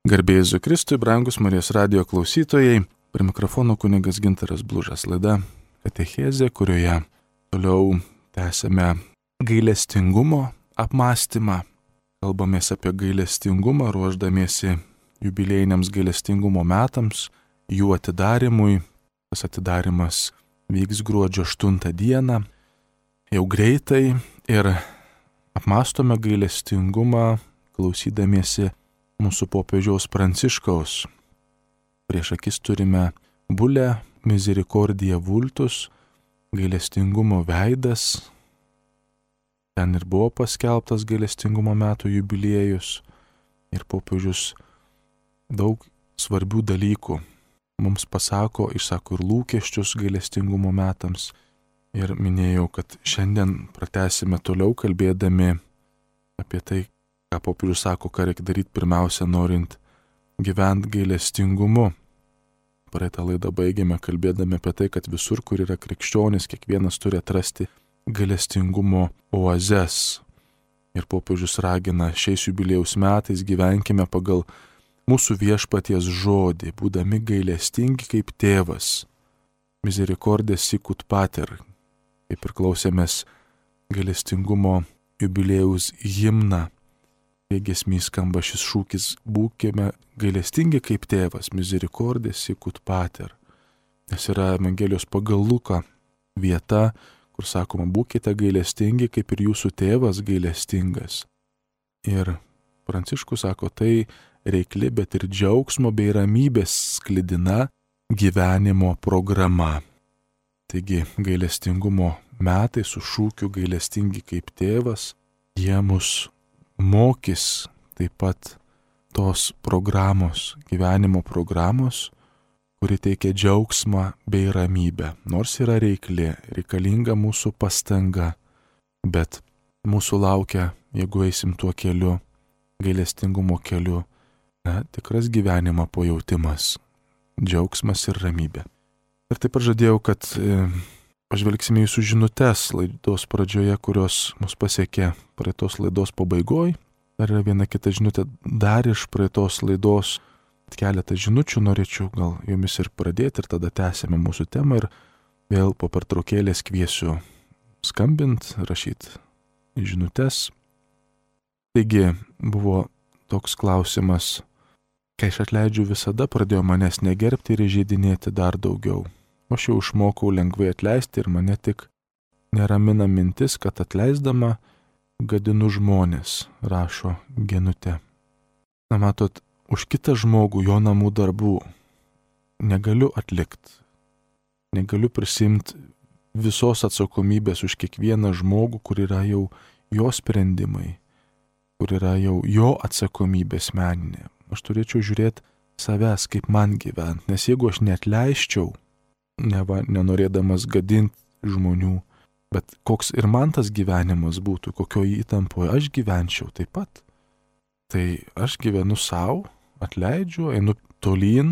Garbė Jėzui Kristui, brangus Marijos radijo klausytojai, prie mikrofono kunigas Gintaras Blužas, laida Katechezė, kurioje toliau tęsime gailestingumo apmąstymą. Kalbamės apie gailestingumą, ruošdamiesi jubiliejiniams gailestingumo metams, jų atidarimui. Tas atidarimas vyks gruodžio 8 dieną, jau greitai, ir apmąstome gailestingumą, klausydamiesi mūsų popiežiaus Pranciškaus. Prieš akis turime bulę Misericordia Vultus, gailestingumo veidas. Ten ir buvo paskelbtas gailestingumo metų jubiliejus ir popiežius daug svarbių dalykų mums pasako, išsako ir lūkesčius gailestingumo metams. Ir minėjau, kad šiandien pratęsime toliau kalbėdami apie tai, ką popiežius sako, ką reikia daryti pirmiausia, norint gyventi gailestingumu. Praeitą laidą baigėme kalbėdami apie tai, kad visur, kur yra krikščionis, kiekvienas turi atrasti gailestingumo oazes. Ir popiežius ragina, šiais jubiliejaus metais gyvenkime pagal mūsų viešpaties žodį, būdami gailestingi kaip tėvas. Misericordia sicut pater. Kaip ir klausėmės gailestingumo jubiliejaus himną. Giesmėj skamba šis šūkis: būkime gailestingi kaip tėvas, Misericordia sicut pater. Nes yra Evangelijos pagal Luką vieta, kur sakoma, būkite gailestingi kaip ir jūsų tėvas gailestingas. Ir Pranciškus sako, tai reikli, bet ir džiaugsmo bei ramybės sklidina gyvenimo programa. Taigi gailestingumo metai su šūkiu gailestingi kaip tėvas, jie mus mokys taip pat tos programos, gyvenimo programos, kuri teikia džiaugsmą bei ramybę. Nors yra reikli, reikalinga mūsų pastanga, bet mūsų laukia, jeigu eisim tuo keliu, gailestingumo keliu, tikras gyvenimo pajautimas, džiaugsmas ir ramybė. Ir taip pat žadėjau, kad pažvelgsime jūsų žinutes laidos pradžioje, kurios mus pasiekė praeitos laidos pabaigoj. Dar yra viena kita žinutė dar iš praeitos laidos. Keletą žinučių norėčiau gal jomis ir pradėti, ir tada tęsime mūsų temą ir vėl po pertraukėlės kviesiu skambint, rašyti žinutes. Taigi buvo toks klausimas: kai aš atleidžiu, visada pradėjo manęs negerbti ir įžeidinėti dar daugiau. Aš jau išmokau lengvai atleisti ir mane tik neramina mintis, kad atleisdama gadinu žmonės, rašo Genutė. Na matot, už kitą žmogų jo namų darbų negaliu atlikti. Negaliu prisimti visos atsakomybės už kiekvieną žmogų, kur yra jau jo sprendimai, kur yra jau jo atsakomybė asmeninė. Aš turėčiau žiūrėti savęs, kaip man gyventi, nes jeigu aš neatleisčiau, nenorėdamas gadinti žmonių, bet koks ir man tas gyvenimas būtų, kokioje įtampoje aš gyvenčiau taip pat. Tai aš gyvenu savo, atleidžiu, einu tolyn,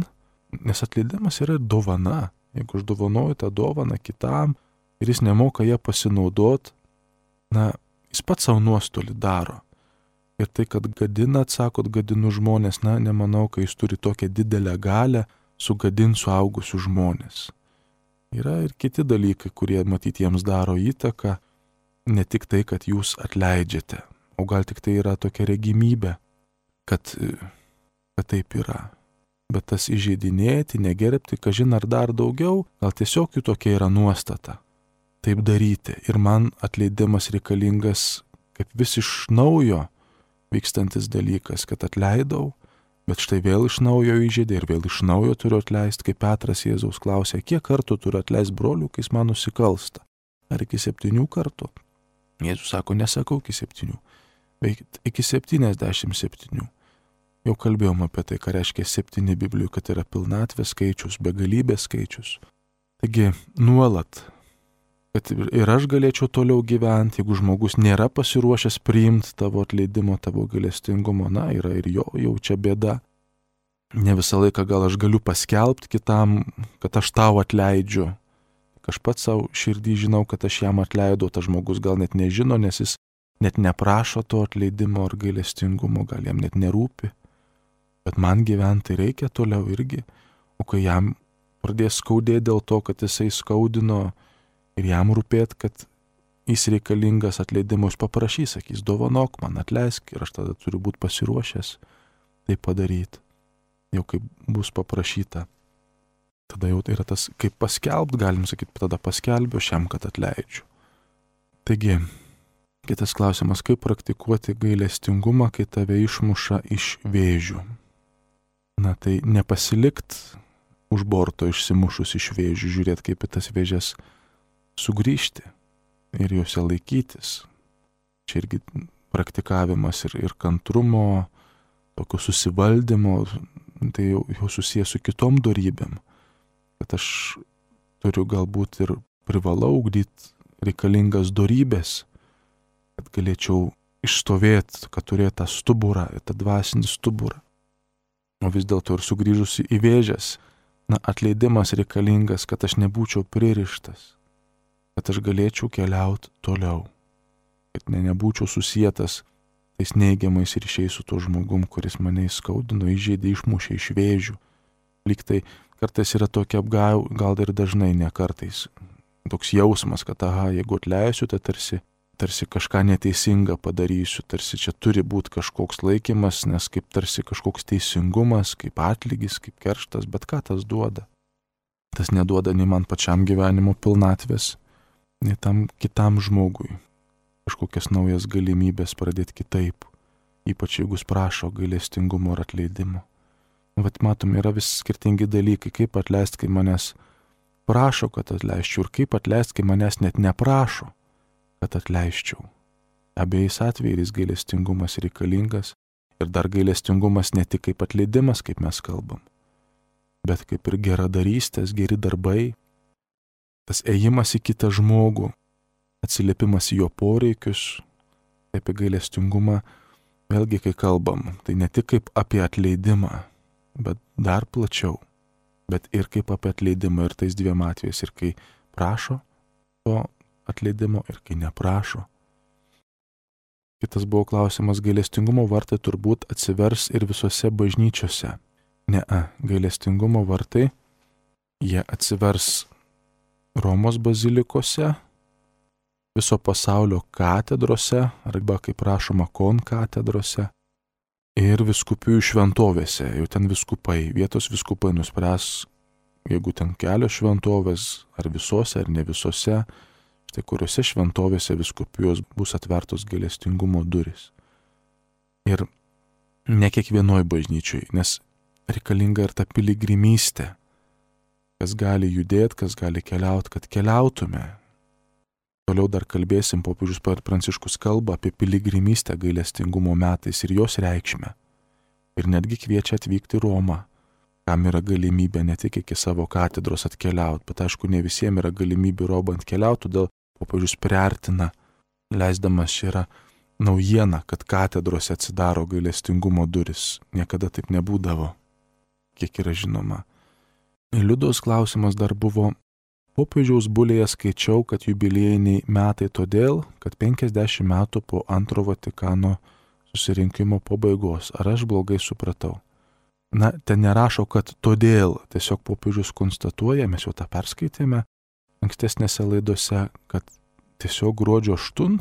nes atleidimas yra dovana. Jeigu aš dovanoju tą dovaną kitam ir jis nemoka ją pasinaudoti, jis pats savo nuostolį daro. Ir tai, kad gadina, atsakot, gadinu žmonės, nemanau, kai jis turi tokią didelę galią sugadinti suaugusių žmonės. Yra ir kiti dalykai, kurie matyti jiems daro įtaką, ne tik tai, kad jūs atleidžiate, o gal tik tai yra tokia regimybė, kad taip yra. Bet tas įžeidinėti, negerbti, kažin ar dar daugiau, gal tiesiog jų tokia yra nuostata. Taip daryti. Ir man atleidimas reikalingas kaip vis iš naujo vykstantis dalykas, kad atleidau, bet štai vėl iš naujo įžeidė ir vėl iš naujo turiu atleisti, kaip Petras Jėzaus klausė, kiek kartų turiu atleisti brolių, kai jis man nusikalsta. Ar iki 7 kartų? Jėzus sako, nesakau iki 7, bet iki 77. Jau kalbėjom apie tai, ką reiškia 7 Biblijų, kad yra pilnatvės skaičius, begalybės skaičius. Taigi nuolat, kad ir aš galėčiau toliau gyventi, jeigu žmogus nėra pasiruošęs priimti tavo atleidimo, tavo gailestingumo, yra ir jo jau čia bėda. Ne visą laiką gal aš galiu paskelbti kitam, kad aš tau atleidžiu. Aš pats savo širdį žinau, kad aš jam atleidau, tas žmogus gal net nežino, nes jis net neprašo to atleidimo ar gailestingumo, gal jam net nerūpi. Bet man gyventi reikia toliau irgi. O kai jam pradės skaudėti dėl to, kad jisai skaudino ir jam rūpėt, kad jis reikalingas atleidimo, jis paprašys, sakys, dovanok man, atleisk ir aš tada turiu būti pasiruošęs tai padaryti. Jau kaip bus paprašyta. Tada jau yra tas, kaip paskelbt, galim sakyti, tada paskelbiu šiam, kad atleidžiu. Taigi, kitas klausimas, kaip praktikuoti gailestingumą, kai tave išmuša iš vėžių. Na tai nepasilikt už borto išsimušus iš vėžių, žiūrėti kaip į tas vėžes sugrįžti ir juose laikytis. Čia irgi praktikavimas ir kantrumo, tokio susivaldymo, tai jau susijęs su kitom dorybėm. Kad aš turiu galbūt ir privalau ugdyti reikalingas dorybės, kad galėčiau išstovėti, kad turėtų tą stuburą, tą dvasinį stuburą. O vis dėlto ir sugrįžusi į vėžes, atleidimas reikalingas, kad aš nebūčiau pririštas, kad aš galėčiau keliauti toliau, kad nebūčiau susietas tais neigiamais ryšiais su tuo žmogum, kuris mane įskaudino, įžeidė, išmušė iš vėžių. Lyg tai kartais yra tokia gal ir dažnai, ne kartais, toks jausmas, kad jeigu atleisiu, tai tarsi kažką neteisinga padarysiu, tarsi čia turi būti kažkoks laikymas, nes kaip tarsi kažkoks teisingumas, kaip atlygis, kaip kerštas, bet ką tas duoda? Tas neduoda nei man pačiam gyvenimo pilnatvės, nei tam kitam žmogui. Kažkokias naujas galimybės pradėti kitaip, ypač jeigu jis prašo gailestingumo ir atleidimo. Vat matom, yra vis skirtingi dalykai, kaip atleisti, kai manęs prašo, kad atleisčiau, ir kaip atleisti, kai manęs net neprašo, kad atleisčiau. Abiejais atvejais gailestingumas reikalingas ir dar gailestingumas ne tik kaip atleidimas, kaip mes kalbam, bet kaip ir geradarystės, geri darbai, tas ėjimas į kitą žmogų, atsiliepimas į jo poreikius, apie gailestingumą, vėlgi kai kalbam, tai ne tik kaip apie atleidimą, bet dar plačiau, bet ir kaip apie atleidimą ir tais dviem atvejais, ir kai prašo to atleidimo ir kai neprašo. Kitas buvo klausimas, gailestingumo vartai turbūt atsivers ir visose bažnyčiose. Gailestingumo vartai, jie atsivers Romos bazilikose, viso pasaulio katedrose, arba kaip rašoma konkatedrose, ir viskupijų šventovėse. Jau ten viskupai, vietos viskupai nuspręs, jeigu ten kelios šventovės, ar visose, ar ne visose, štai kuriuose šventovėse viskupijos bus atvertos gailestingumo durys. Ir ne kiekvienoj bažnyčiai, nes reikalinga ir ta piligrimystė, kas gali judėti, kas gali keliauti, kad keliautume. Toliau dar kalbėsim, popiežius Pranciškus kalba apie piligrimystę gailestingumo metais ir jos reikšmę. Ir netgi kviečia atvykti į Romą, kam yra galimybė ne tik iki savo katedros atkeliauti, bet aišku, ne visiems yra galimybė Romą atkeliauti, todėl popiežius priartina, leisdamas čia yra naujiena, kad katedrose atsidaro gailestingumo duris. Niekada taip nebūdavo, kiek yra žinoma. Liudos klausimas dar buvo, popiežiaus bulėje skaičiau, kad jubiliejiniai metai todėl, kad 50 metų po antro Vatikano susirinkimo pabaigos. Ar aš blogai supratau? Ten nerašo, kad todėl, tiesiog popiežius konstatuoja, mes jau tą perskaitėme ankstesnėse laidose, kad tiesiog gruodžio 8,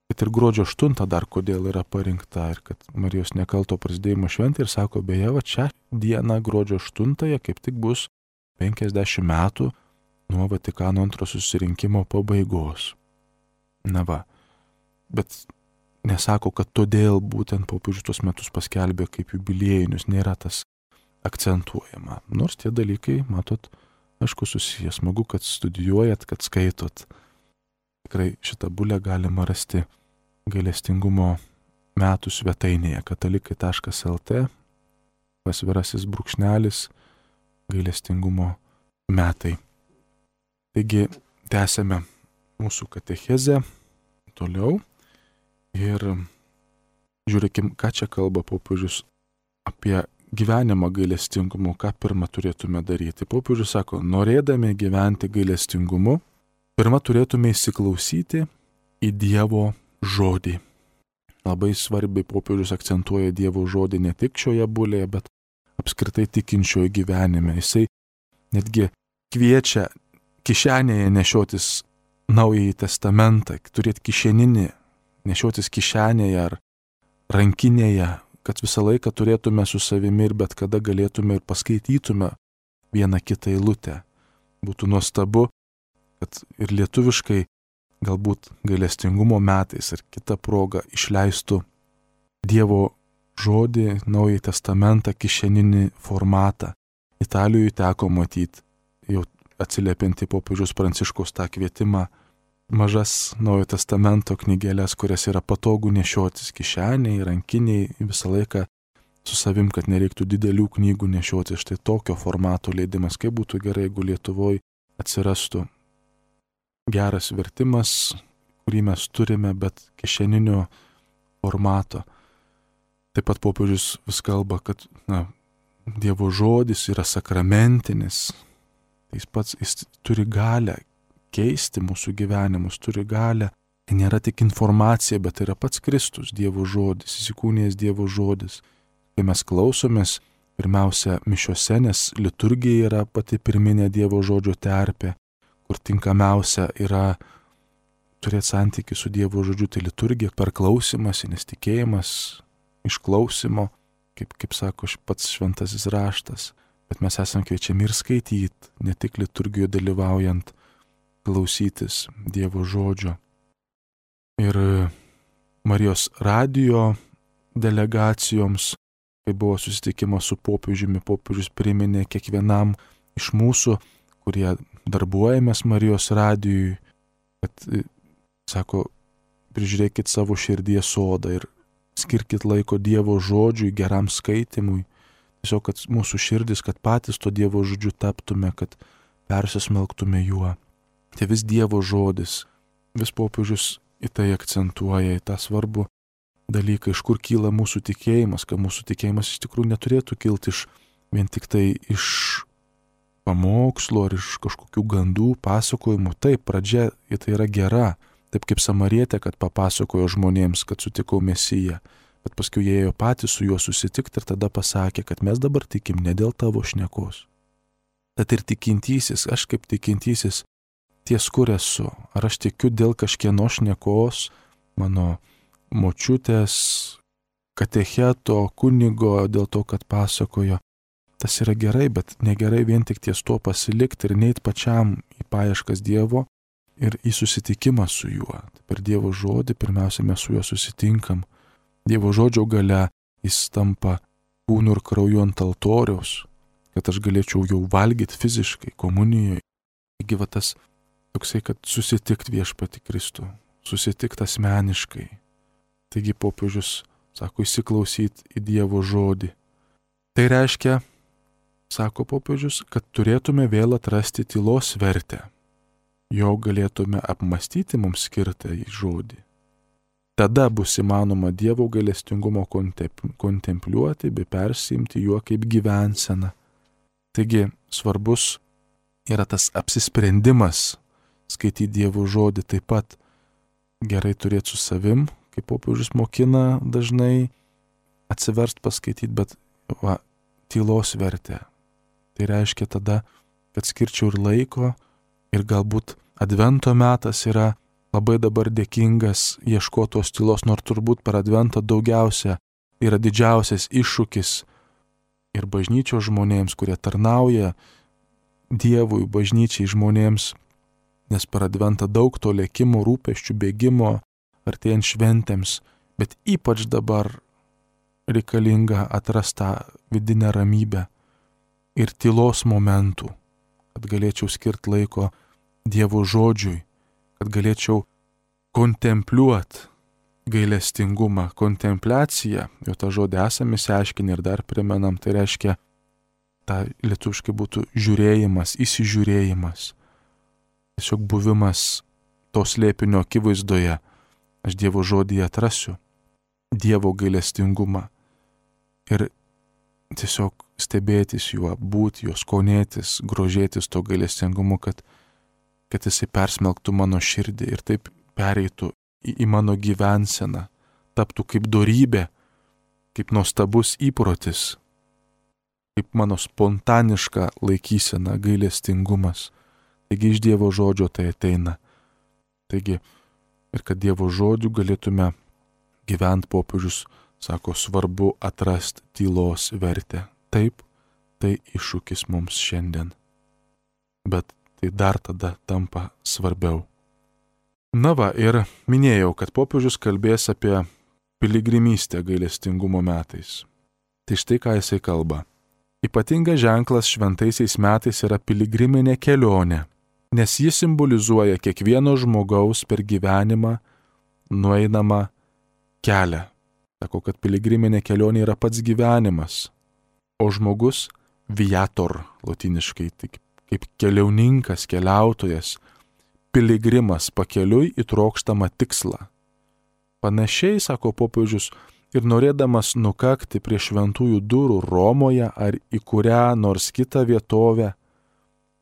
kad ir gruodžio 8 dar kodėl yra parinkta ir kad Marijos nekalto prasidėjimo šventė ir sako, beje, va čia diena gruodžio 8 kaip tik bus 50 metų nuo Vatikano antro susirinkimo pabaigos. Bet nesako, kad todėl būtent popiežius tuos metus paskelbė kaip jubiliejinius, nėra tas akcentuojama. Nors tie dalykai, matot, aišku, susiję. Smagu, kad studijuojat, kad skaitot. Tikrai šitą bulę galima rasti gailestingumo metų svetainėje katalikai.lt / gailestingumo metai. Taigi, tęsėme mūsų katechezę toliau ir žiūrėkim, ką čia kalba popiežius apie gyvenimą gailestingumu, ką pirmą turėtume daryti. Popiežius sako, norėdami gyventi gailestingumu, pirmą turėtume įsiklausyti į Dievo žodį. labai svarbiai popiežius akcentuoja Dievo žodį ne tik šioje bulėje, bet apskritai tikinčiojo gyvenime. Jisai netgi kviečia kišenėje nešiotis Naująjį testamentą, turėti kišeninį, nešiotis kišenėje ar rankinėje, kad visą laiką turėtume su savimi ir bet kada galėtume ir paskaitytume vieną kitą eilutę. Būtų nuostabu, kad ir lietuviškai galbūt gailestingumo metais ar kitą progą išleistų Dievo žodį, Naująjį testamentą, kišeninį formatą. Italijoje teko matyti, jau atsiliepiant į popiežiaus Pranciškaus tą kvietimą, mažas Naujojo testamento knygelės, kurias yra patogu nešiotis kišeniai, rankiniai, visą laiką su savim, kad nereiktų didelių knygų nešiotis. Štai tokio formato leidimas, kaip būtų gerai, jeigu Lietuvoje atsirastų geras vertimas, kurį mes turime, bet kišeninio formato. Taip pat popiežius vis kalba, kad Dievo žodis yra sakramentinis. Jis turi galę keisti mūsų gyvenimus, turi galę. Tai nėra tik informacija, bet tai yra pats Kristus, Dievo žodis, įsikūnijęs Dievo žodis. Kai mes klausomės, pirmiausia, mišiose, nes liturgija yra pati pirminė Dievo žodžio terpė, kur tinkamiausia yra turėti santykį su Dievo žodžiu, tai liturgija per klausimąsi, nes tikėjimas iš klausimo, kaip sako pats šventasis raštas, bet mes esame kviečiami ir skaityti, ne tik liturgijoje dalyvaujant, klausytis Dievo žodžio. Ir Marijos radijo delegacijoms, kai buvo susitikimas su popiežiumi, popiežius priminė kiekvienam iš mūsų, kurie darbuojamės Marijos radijui, kad, sako, prižiūrėkit savo širdies sodą ir skirkit laiko Dievo žodžiui, geram skaitimui. Tiesiog, kad mūsų širdis, kad patys to Dievo žodžiu taptume, kad persismelktume juo. Tai vis Dievo žodis, vis popiežius į tai akcentuoja, į tą svarbų dalyką, iš kur kyla mūsų tikėjimas, kad mūsų tikėjimas iš tikrųjų neturėtų kilti vien tik tai iš pamokslo ar iš kažkokių gandų, pasakojimų. Taip, pradžia į tai yra gera. Taip kaip Samarietė, kad papasakojo žmonėms, kad sutikau Mesiją, bet paskui jie ėjo patys su juo susitikti ir tada pasakė, kad mes dabar tikim ne dėl tavo šnekos. Tad ir tikintysis, aš kaip tikintysis, ties kur esu. Ar aš tikiu dėl kažkieno šnekos, mano močiutės, katecheto, kunigo, dėl to, kad pasakojo. Tas yra gerai, bet negerai vien tik ties to pasilikti ir neit pačiam į paieškas Dievo, ir į susitikimą su juo. Per Dievo žodį pirmiausia mes su juo susitinkam. Dievo žodžio gale jis tampa kūnu ir krauju ant altoriaus, kad aš galėčiau jau valgyti fiziškai, komunijoje. Taigi va tas toksai, kad susitikt viešpatį Kristų, susitikt asmeniškai. Taigi popiežius sako įsiklausyti į Dievo žodį. Tai reiškia, sako popiežius, kad turėtume vėl atrasti tylos vertę. Jo galėtume apmastyti mums skirtą į žodį. Tada bus įmanoma Dievo gailestingumo kontempliuoti bei persiimti juo kaip gyvenseną. Taigi svarbus yra tas apsisprendimas skaityti Dievo žodį, taip pat gerai turėti su savim, kaip popiežius mokina dažnai atsiverst paskaityti, bet tylos vertę. Tai reiškia tada, kad skirčiau ir laiko, ir galbūt advento metas yra labai dabar dėkingas ieškotos tylos, nors turbūt per adventą daugiausia yra didžiausias iššūkis ir bažnyčios žmonėms, kurie tarnauja Dievui, bažnyčiai žmonėms, nes per adventą daug to lėkimo, rūpesčių, bėgimo, artėjant šventėms, bet ypač dabar reikalinga atrastą vidinę ramybę ir tylos momentų, kad galėčiau skirti laiko Dievo žodžiui, kad galėčiau kontempliuoti gailestingumą. Kontempliacija, jau tą žodį esame išsiaiškinę ir dar primenam, tai reiškia, ta lietuviškai būtų žiūrėjimas, įsižiūrėjimas. Tiesiog buvimas to slėpinio akivaizdoje. Aš Dievo žodyje atrasiu Dievo gailestingumą ir tiesiog stebėtis juo, būti juo, skonėtis, grožėtis to gailestingumu, kad jisai persmelktų mano širdį ir taip pereitų į mano gyvenseną, taptų kaip dorybė, kaip nuostabus įprotis, kaip mano spontaniška laikysena, gailestingumas. Taigi iš Dievo žodžio tai ateina. Taigi ir kad Dievo žodžiu galėtume gyventi, popiežius sako, svarbu atrasti tylos vertę. Taip, tai iššūkis mums šiandien. Bet tai dar tada tampa svarbiau. Na va, ir minėjau, kad popiežius kalbės apie piligrimystę gailestingumo metais. Tai štai ką jisai kalba. Ypatingas ženklas šventaisiais metais yra piligriminė kelionė, nes ji simbolizuoja kiekvieno žmogaus per gyvenimą nueinamą kelią. Sako, kad piligriminė kelionė yra pats gyvenimas, o žmogus viator, lotyniškai, tik kaip keliauninkas, keliautojas, piligrimas pakeliui į trokštamą tikslą. Panašiai, sako popiežius, ir norėdamas nukakti prie šventųjų durų Romoje ar į kurią nors kitą vietovę,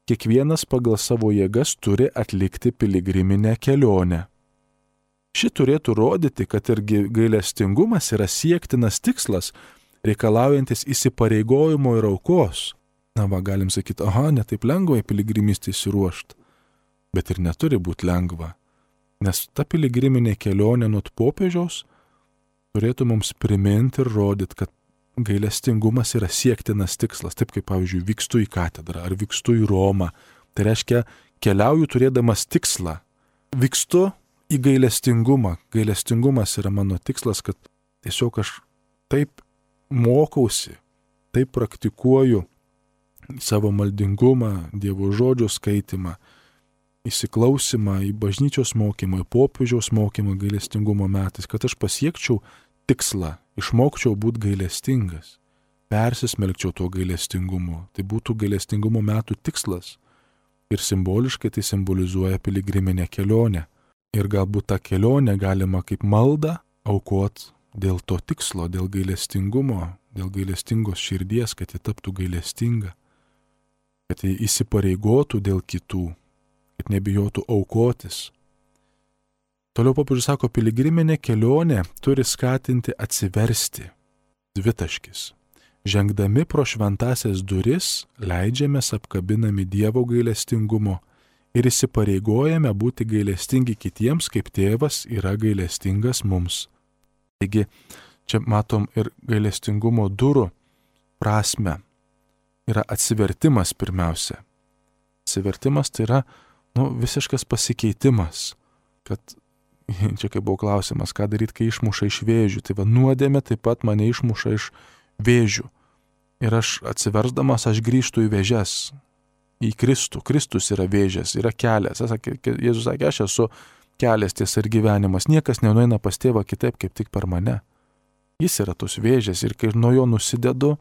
kiekvienas pagal savo jėgas turi atlikti piligriminę kelionę. Ši turėtų rodyti, kad ir gailestingumas yra siektinas tikslas, reikalaujantis įsipareigojimo ir aukos. Na va, galim sakyti, ne taip lengva į piligrimystę įsiruošti, bet ir neturi būti lengva, nes ta piligriminė kelionė nuo popiežiaus turėtų mums priminti ir rodyti, kad gailestingumas yra siektinas tikslas, taip kaip, pavyzdžiui, vykstu į katedrą ar vykstu į Romą. Tai reiškia, keliauju turėdamas tikslą. Vykstu į gailestingumą. Gailestingumas yra mano tikslas, kad tiesiog aš taip mokausi, taip praktikuoju savo maldingumą, Dievo žodžio skaitimą, įsiklausimą į bažnyčios mokymą, į popiežiaus mokymą gailestingumo metais, kad aš pasiekčiau tikslą, išmokčiau būti gailestingas, persismelkčiau tuo gailestingumu. Tai būtų gailestingumo metų tikslas. Ir simboliškai tai simbolizuoja piligriminę kelionę. Ir galbūt tą kelionę galima kaip maldą aukot dėl to tikslo, dėl gailestingumo, dėl gailestingos širdies, kad ji taptų gailestinga, kad ji įsipareigotų dėl kitų, kad nebijotų aukotis. Toliau popiežius sako, piligriminė kelionė turi skatinti atsiversti. Dvitaškis. Žengdami pro šventąsias duris, leidžiamės apkabinami Dievo gailestingumo ir įsipareigojame būti gailestingi kitiems, kaip tėvas yra gailestingas mums. Taigi, čia matom ir gailestingumo durų prasme. Yra atsivertimas pirmiausia. Atsivertimas tai yra visiškas pasikeitimas, kad čia kaip buvo klausimas, ką daryti, kai išmuša iš vėžių. Tai va, nuodėmė taip pat mane išmuša iš vėžių. Ir aš atsiversdamas, aš grįžtu į vėžes, į Kristų. Kristus yra vėžės, yra kelias. Jėzus sakė, aš esu kelias, tiesa ir gyvenimas. Niekas nenueina pas tėvą kitaip, kaip tik per mane. Jis yra tos vėžės ir kai nuo jo nusidedu,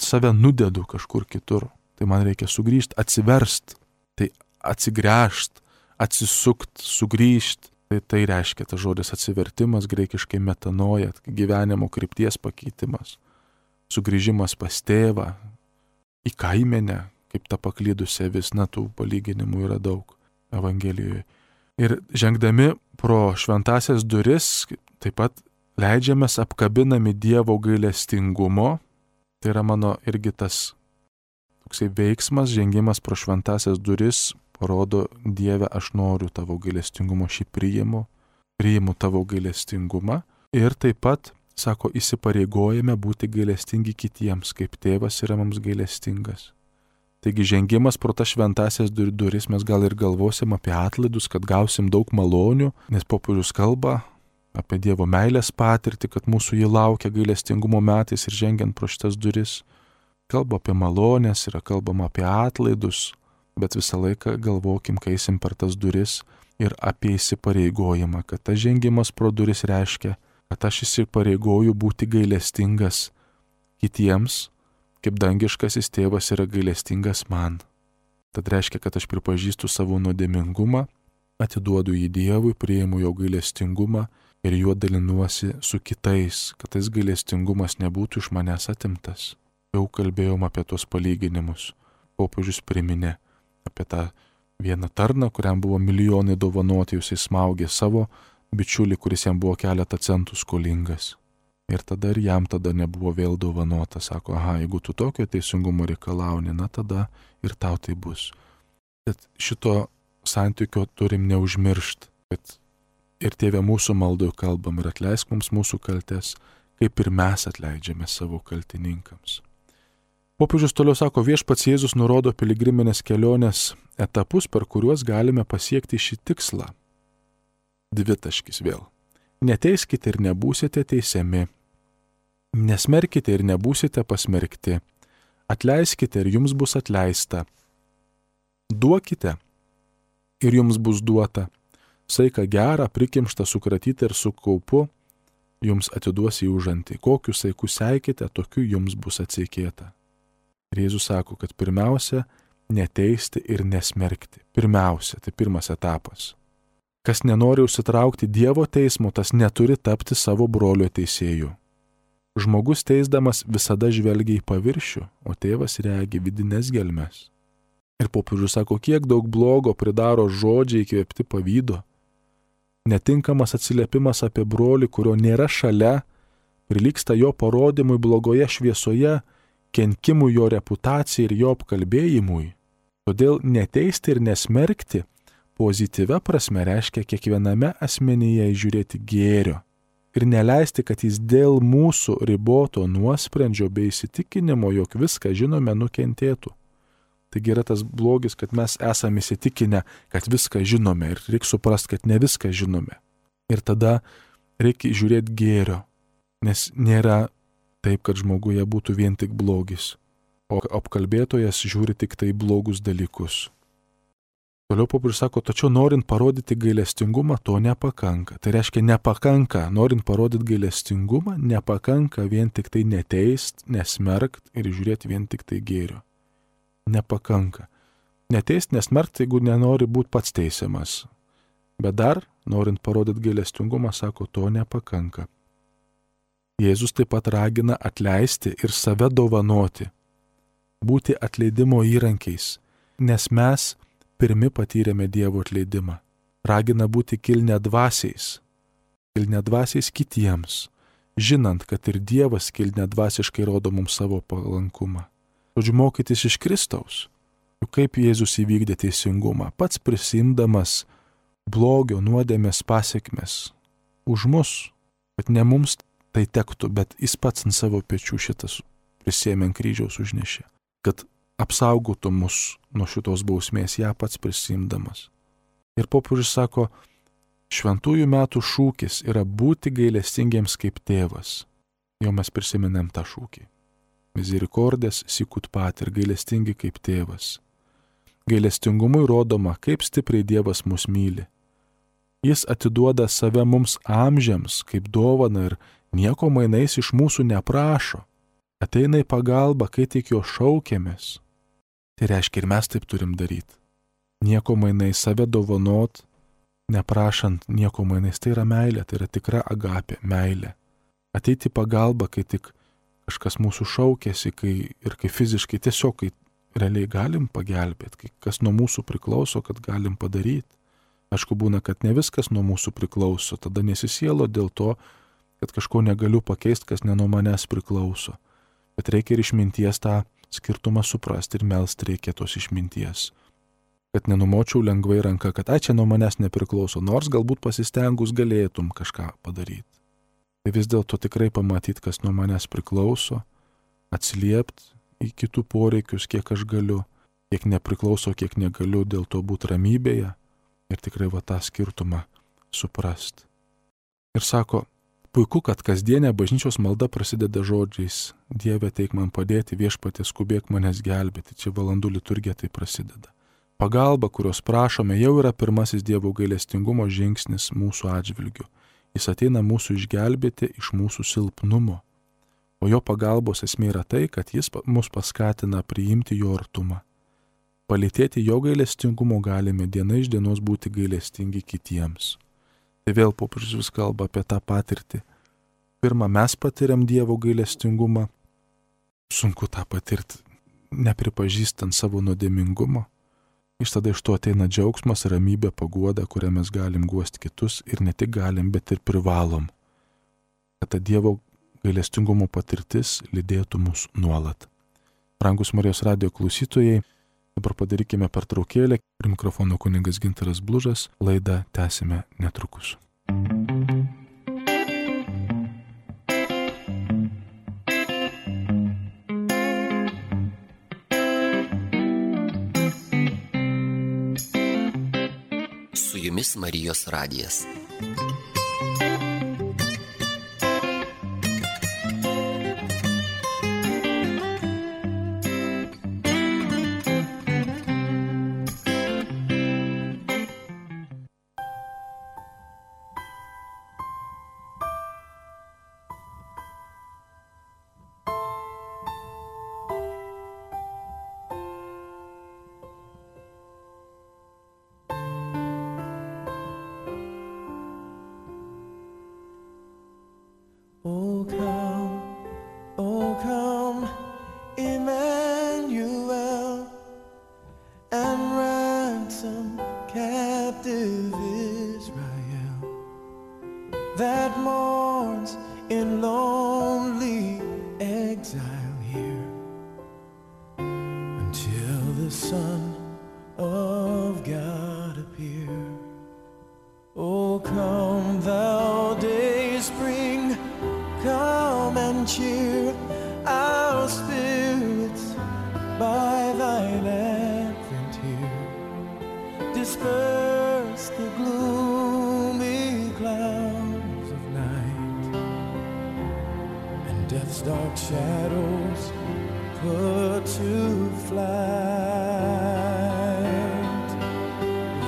save nudedu kažkur kitur. Tai man reikia sugrįžti, atsiverst, tai atsigręžt, atsisukt, sugrįžt. Tai reiškia tas žodis atsivertimas, graikiškai metanoja, gyvenimo krypties pakeitimas, sugrįžimas pas tėvą, į kaimenę, kaip ta paklydusi avis, tų palyginimų yra daug Evangelijoje. Ir žengdami pro šventąsias duris, taip pat leidžiamės apkabinami Dievo gailestingumo, tai yra mano irgi tas toksai veiksmas, žengimas pro šventąsias duris, parodo, Dieve, aš noriu tavo gailestingumo, šį priimu tavo gailestingumą. Ir taip pat, sako, įsipareigojame būti gailestingi kitiems, kaip tėvas yra mums gailestingas. Taigi žengimas pro tas šventąsias duris mes gal ir galvosim apie atlaidus, kad gausim daug malonių, nes popiežius kalba apie Dievo meilės patirtį, kad mūsų jį laukia gailestingumo metais ir žengiant pro šitas duris. Kalba apie malonės, yra kalbama apie atlaidus, bet visą laiką galvokim, kai eisim per tas duris ir apie įsipareigojimą, kad tas žengimas pro duris reiškia, kad aš įsipareigoju būti gailestingas kitiems, kaip dangiškasis tėvas yra gailestingas man. Tad reiškia, kad aš pripažįstu savo nuodėmingumą, atiduodu jį Dievui, priimu jo gailestingumą ir juo dalinuosi su kitais, kad tas gailestingumas nebūtų iš manęs atimtas. Jau kalbėjom apie tos palyginimus. Popiežius priminė apie tą vieną tarną, kuriam buvo milijonai dovanoti, jisai smaugė savo bičiulį, kuris jam buvo keletą centų skolingas. Ir tada ir jam tada nebuvo vėl dovanota. Sako, aha, jeigu tu tokio teisingumo reikalauni, na tada ir tau tai bus. Bet šito santykio turim neužmiršti, kad ir Tėve mūsų maldoje kalbam ir atleisk mums mūsų kaltes, kaip ir mes atleidžiame savo kaltininkams. Popiežius toliau sako, Viešpats Jėzus nurodo piligriminės kelionės etapus, per kuriuos galime pasiekti šį tikslą. Dvitaškis vėl. Neteiskite ir nebūsite teisiami. Nesmerkite ir nebūsite pasmerkti. Atleiskite ir jums bus atleista. Duokite ir jums bus duota. Saiką gerą, prikimštą, sukratytą ir su kaupu jums atiduos į užantį. Kokiu saiku seikite, tokiu jums bus atseikėta. Ir Jėzus sako, kad pirmiausia, neteisti ir nesmerkti. Pirmiausia, tai pirmas etapas. Kas nenori užsitraukti Dievo teismo, tas neturi tapti savo brolio teisėju. Žmogus teisdamas visada žvelgia į paviršių, o tėvas regi vidines gelmes. Ir popiežius sako, kiek daug blogo pridaro žodžiai įkvėpti pavydo. Netinkamas atsiliepimas apie brolį, kurio nėra šalia, prilygsta jo parodymui blogoje šviesoje, kenkimui jo reputacijai ir jo apkalbėjimui. Todėl neteisti ir nesmerkti pozityvia prasme reiškia kiekviename asmenyje įžiūrėti gėrio ir neleisti, kad jis dėl mūsų riboto nuosprendžio bei įsitikinimo, jog viską žinome, nukentėtų. Taigi yra tas blogis, kad mes esame įsitikinę, kad viską žinome ir reikia suprasti, kad ne viską žinome. Ir tada reikia žiūrėti gėrio, nes nėra taip, kad žmoguje būtų vien tik blogis, o apkalbėtojas žiūri tik tai blogus dalykus. Toliau popiežius sako, tačiau norint parodyti gailestingumą, to nepakanka. Tai reiškia nepakanka, norint parodyti gailestingumą, nepakanka vien tik tai neteist, nesmerkt ir žiūrėti vien tik tai gėrio. Nepakanka. Neteist, nesmerkt, jeigu nenori būti pats teisiamas. Bet dar, norint parodyti gailestingumą, sako, to nepakanka. Jėzus taip pat ragina atleisti ir save dovanoti, būti atleidimo įrankiais, nes mes pirmi patyrėme Dievo atleidimą. Ragina būti kilniadvasiais kitiems, žinant, kad ir Dievas kilniadvasiškai rodo mums savo palankumą. Žodžiu, mokytis iš Kristaus. Juk kaip Jėzus įvykdė teisingumą, pats prisimdamas blogio nuodėmės pasekmes už mus, kad ne mums tai tektų, bet jis pats ant savo pečių šitas prisėmė ant kryžiaus užnešė, kad apsaugotų mus nuo šitos bausmės, ją pats prisimdamas. Ir popiežius sako, šventųjų metų šūkis yra būti gailestingiems kaip tėvas. Jau mes prisiminėm tą šūkį. Misericordės sicut pater, gailestingi kaip tėvas. Gailestingumui rodoma, kaip stipriai Dievas mus myli. Jis atiduoda save mums amžiams kaip dovana ir nieko mainais iš mūsų neprašo. Ateina į pagalbą, kai tik jo šaukiamės. Tai reiškia ir mes taip turim daryti. Nieko mainais save dovanot, neprašant nieko mainais. Tai yra meilė, tai yra tikra agapė, meilė. Ateiti į pagalbą, kai tik kažkas mūsų šaukėsi, kai fiziškai tiesiog, kai realiai galim pagelbėti, kai kas nuo mūsų priklauso, kad galim padaryti. Aišku, būna, kad ne viskas nuo mūsų priklauso, tada nesisielo dėl to, kad kažko negaliu pakeisti, kas ne nuo manęs priklauso. Bet reikia ir išminties tą skirtumą suprasti ir melst reikia tos išminties. Kad nenumočiau lengvai ranką, kad čia nuo manęs nepriklauso, nors galbūt pasistengus galėtum kažką padaryti. Tai vis dėlto tikrai pamatyti, kas nuo manęs priklauso, atsiliepti į kitų poreikius, kiek aš galiu, kiek nepriklauso, kiek negaliu, dėl to būti ramybėje ir tikrai va tą skirtumą suprasti. Ir sako, puiku, kad kasdienė bažnyčios malda prasideda žodžiais, Dieve teik man padėti, Viešpatie skubėk manęs gelbėti, čia valandų liturgija tai prasideda. Pagalba, kurios prašome, jau yra pirmasis Dievo gailestingumo žingsnis mūsų atžvilgiu. Jis ateina mūsų išgelbėti iš mūsų silpnumo. O jo pagalbos esmė yra tai, kad jis mus paskatina priimti jo artumą. Palytėti jo gailestingumo galime diena iš dienos būti gailestingi kitiems. Tai vėl popiežius vis kalba apie tą patirtį. Pirma, mes patiriam Dievo gailestingumą. Sunku tą patirti, nepripažįstant savo nuodėmingumo. tada iš to ateina džiaugsmas, ramybė, paguoda, kurią mes galim guosti kitus ir ne tik galim, bet ir privalom. Kad ta Dievo gailestingumo patirtis lydėtų mus nuolat. Brangus Marijos radijo klausytojai, dabar padarykime pertraukėlę. Prie mikrofono kunigas Gintaras Blužas, laidą tęsime netrukus. Su jumis Marijos radijas. Oh come, Emmanuel, and ransom captive Israel that mourns in lonely exile here until the Son of God appear. Oh come, thou dayspring, come and cheer our spirits by thine advent here. Disperse the gloomy clouds of night, and death's dark shadows put to flight.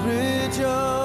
Rejoice.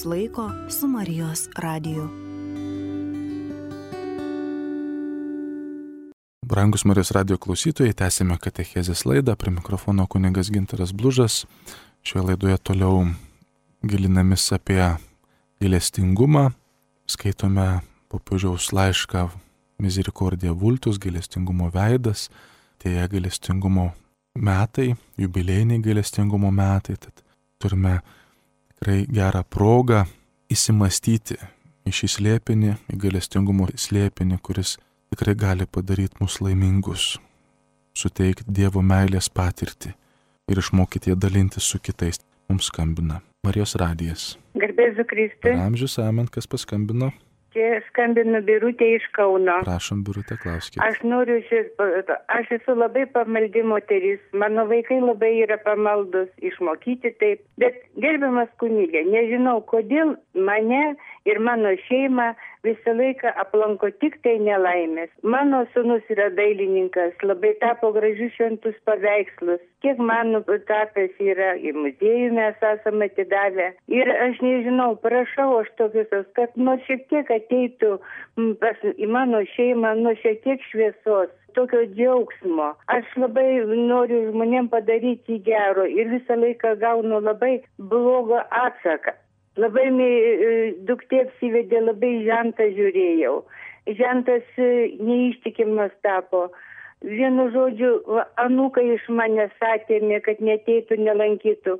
Laiko su Marijos radiju. Brangus Marijos radijo klausytojai, tęsime katechezės laidą. Prie mikrofono kunigas Gintaras Blužas. Šioje laidoje toliau gilinamis apie gailestingumą. Skaitome popiežiaus laišką Misericordia Vultus, gailestingumo veidas. Tai gailestingumo metai, jubiliejiniai gailestingumo metai. Tad turime tikrai gerą progą įsimastyti į šį slėpinį, į gailestingumo slėpinį, kuris tikrai gali padaryti mus laimingus, suteikti Dievo meilės patirtį ir išmokyti ją dalintis su kitais. Mums skambina Marijos radijas. Garbėsiu Kristui. Amžius amen, kas paskambino? Čia skambinu Birutė iš Kauno. Prašom, Birutė, klauskite. Aš esu labai pamaldi moteris, mano vaikai labai yra pamaldus, išmokyti taip. Bet gerbiamas kunigė, nežinau, kodėl mane ir mano šeimą visą laiką aplanko tik tai nelaimės. Mano sūnus yra dailininkas, labai tapo gražius šventus paveikslus. Kiek mano tapęs yra, į muziejų mes esame atidavę. Ir aš nežinau, prašau aš tokius, kad nors šiek tiek ateitų į mano šeimą, nors šiek tiek šviesos, tokio džiaugsmo. Aš labai noriu žmonėm padaryti gero ir visą laiką gaunu labai blogą atsaką. Labai duktė apsivedė, labai žentą žiūrėjau. Žentas neištikimas tapo. Vienu žodžiu, anūkai iš manęs atėmė, kad neteitų, nelankytų.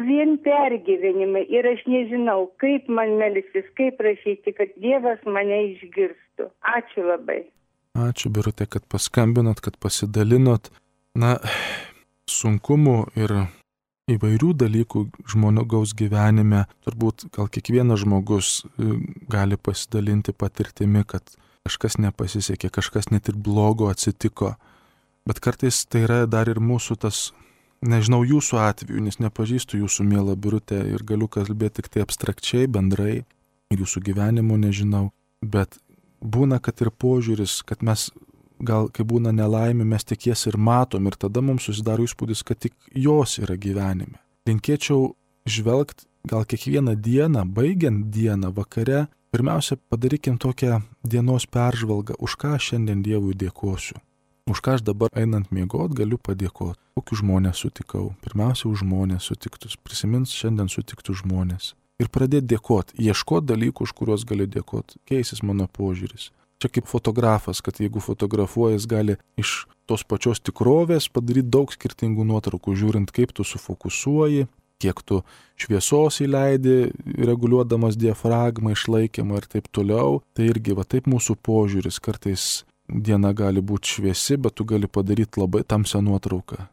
Vien pergyvenimai. Ir aš nežinau, kaip man melstis, kaip prašyti, kad Dievas mane išgirstų. Ačiū labai. Ačiū, Birutė, kad paskambinot, kad pasidalinot. Sunkumų ir įvairių dalykų žmogaus gyvenime, turbūt gal kiekvienas žmogus gali pasidalinti patirtimi, kad kažkas nepasisekė, kažkas net ir blogo atsitiko. Bet kartais tai yra dar ir mūsų tas, nežinau jūsų atveju, nes nepažįstu jūsų mielą Birutę ir galiu kalbėti tik tai abstrakčiai, bendrai, ir jūsų gyvenimo nežinau. Bet būna, kad ir požiūris, kad mes gal, kai būna nelaimė, mes tik jas ir matom ir tada mums susidaro įspūdis, kad tik jos yra gyvenime. Linkėčiau žvelgti gal kiekvieną dieną, baigiant dieną, vakare, pirmiausia padarykim tokią dienos peržvalgą, už ką šiandien Dievui dėkosiu. Už ką aš dabar einant miegot galiu padėkoti. Kokius žmonės sutikau. Pirmiausia, už žmonės sutiktus. Prisimins šiandien sutiktus žmonės. Ir pradėti dėkoti, ieškoti dalykų, už kuriuos galiu dėkoti. Keisis mano požiūris. Čia kaip fotografas, kad jeigu fotografuojas, gali iš tos pačios tikrovės padaryti daug skirtingų nuotraukų, žiūrint, kaip tu sufokusuoji, kiek tu šviesos įleidi, reguliuodamas diafragmą, išlaikymą ir taip toliau. Tai irgi va taip mūsų požiūris. Kartais diena gali būti šviesi, bet tu gali padaryti labai tamsią nuotrauką,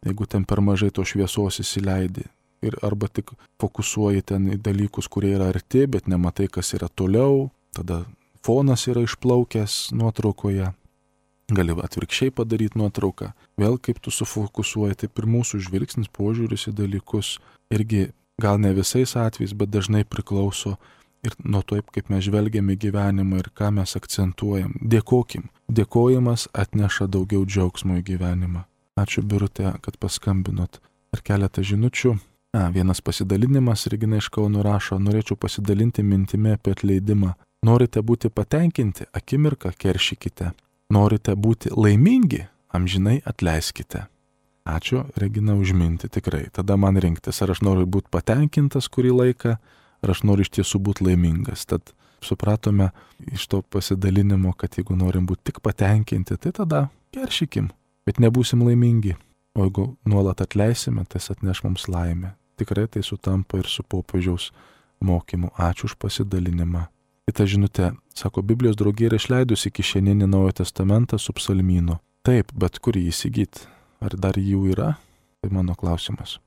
jeigu ten per mažai to šviesos įsileidi. Ir arba tik fokusuoji ten į dalykus, kurie yra arti, bet nematai, kas yra toliau. Tada fonas yra išplaukęs nuotraukoje, gali atvirkščiai padaryti nuotrauką. Vėl kaip tu sufokusuoji, taip ir mūsų žvilgsnis, požiūris į dalykus irgi gal ne visais atvejais, bet dažnai priklauso ir nuo to, kaip mes žvelgiame gyvenimą ir ką mes akcentuojam. Dėkokim. Dėkojimas atneša daugiau džiaugsmo į gyvenimą. Ačiū, Birutė, kad paskambinot. Ir keletą žinučių. Vienas pasidalinimas, Regina iš Kauno rašo, norėčiau pasidalinti mintimi apie atleidimą. Norite būti patenkinti, akimirką keršykite. Norite būti laimingi, amžinai atleiskite. Ačiū, Regina, už mintį, tikrai. Tada man rinktis, ar aš noriu būti patenkintas kurį laiką, ar aš noriu iš tiesų būti laimingas. Tad supratome iš to pasidalinimo, kad jeigu norim būti tik patenkinti, tai tada keršykim, bet nebūsim laimingi. O jeigu nuolat atleisime, tas atneš mums laimę. Tikrai tai sutampa ir su popiežiaus mokymu. Ačiū už pasidalinimą. Kita žinutė, sako, Biblijos draugija yra išleidusi kišeninį Naujojo Testamentą su psalmynu. Taip, bet kur jį įsigyti? Ar dar jų yra? Tai mano klausimas.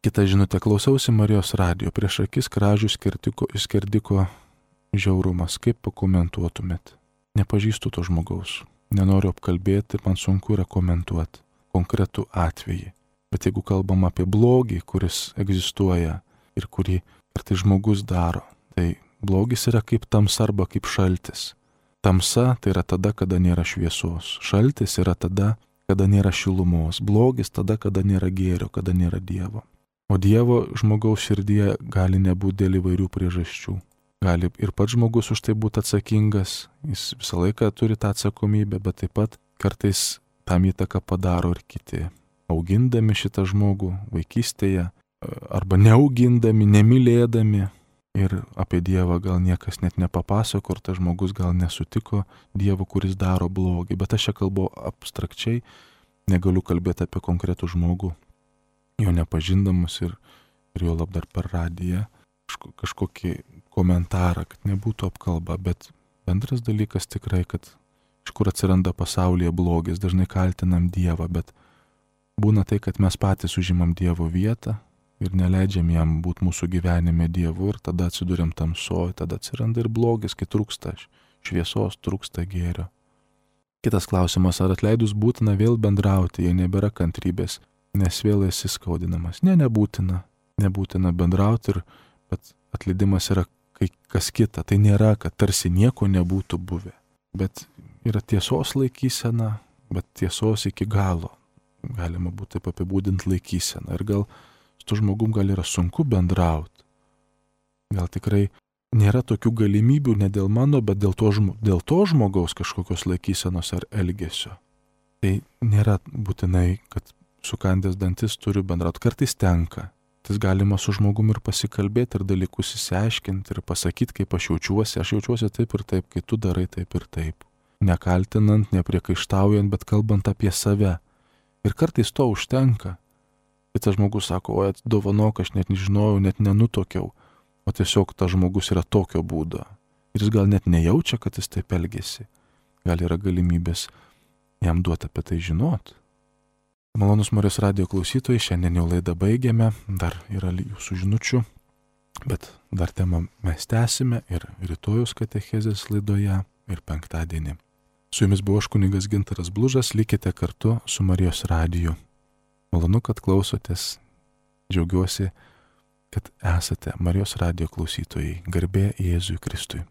Kita žinutė, klausiausi Marijos radijo, prieš akis kražių skerdiko žiaurumas. Kaip pakomentuotumėt? Nepažįstu to žmogaus. Nenoriu apkalbėti, man sunku yra komentuoti konkretų atvejį. Bet jeigu kalbam apie blogį, kuris egzistuoja ir kurį kartais žmogus daro, tai blogis yra kaip tamsa arba kaip šaltis. Tamsa tai yra tada, kada nėra šviesos. Šaltis yra tada, kada nėra šilumos. Blogis tada, kada nėra gėrio, kada nėra Dievo. O Dievo žmogaus širdyje gali nebūti dėl įvairių priežasčių. Gali ir pats žmogus už tai būti atsakingas, jis visą laiką turi tą atsakomybę, bet taip pat kartais tam įtaką padaro ir kiti. Augindami šitą žmogų vaikystėje, arba neaugindami, nemylėdami, ir apie Dievą gal niekas net nepapasako, ir tas žmogus gal nesutiko Dievo, kuris daro blogį. Bet aš čia kalbu abstrakčiai, negaliu kalbėti apie konkretų žmogų, jo nepažindamus ir jo lab dar per radiją, kažkokį komentarą, kad nebūtų apkalba, bet bendras dalykas tikrai, kad iš kur atsiranda pasaulyje blogis, dažnai kaltinam Dievą, bet būna tai, kad mes patys užimam Dievo vietą ir neleidžiam jam būti mūsų gyvenime Dievu ir tada atsiduriam tamsoj, tada atsiranda ir blogis, kai trūksta šviesos, trūksta gėrio. Kitas klausimas, ar atleidus būtina vėl bendrauti, jei nebėra kantrybės, nes vėl esi skaudinamas? Ne, nebūtina bendrauti, bet atleidimas yra kai kas kita. Tai nėra, kad tarsi nieko nebūtų buvę, bet yra tiesos laikysena, bet tiesos iki galo. Galima būtų taip apibūdinti laikyseną. Ir gal su tu žmogum gal yra sunku bendrauti. Gal tikrai nėra tokių galimybių ne dėl mano, bet dėl to žmogaus kažkokios laikysenos ar elgesio. Tai nėra būtinai, kad sukandęs dantis turiu bendrauti. Kartais tenka. Tai galima su žmogum ir pasikalbėti, ir dalykus įsiaiškinti, ir pasakyti, kaip aš jaučiuosi. Aš jaučiuosi taip ir taip, kai tu darai taip ir taip. Nekaltinant, nepriekaištaujant, bet kalbant apie save. Ir kartais to užtenka. Kitas žmogus sako, o dovanok, aš net nežinojau, net nenutokiau. O tiesiog tas žmogus yra tokio būdo. Ir jis gal net nejaučia, kad jis taip elgesi. Gal yra galimybės jam duoti apie tai žinot. Malonus Marijos radijo klausytojai, šiandien jau laidą baigėme, dar yra jūsų žinučių, bet dar temą mes tęsime ir rytojus katechezės laidoje ir penktadienį. Su jumis buvo aš kunigas Gintaras Blužas, likite kartu su Marijos radiju. Malonu, kad klausotės, džiaugiuosi, kad esate Marijos radijo klausytojai. Garbė Jėzui Kristui.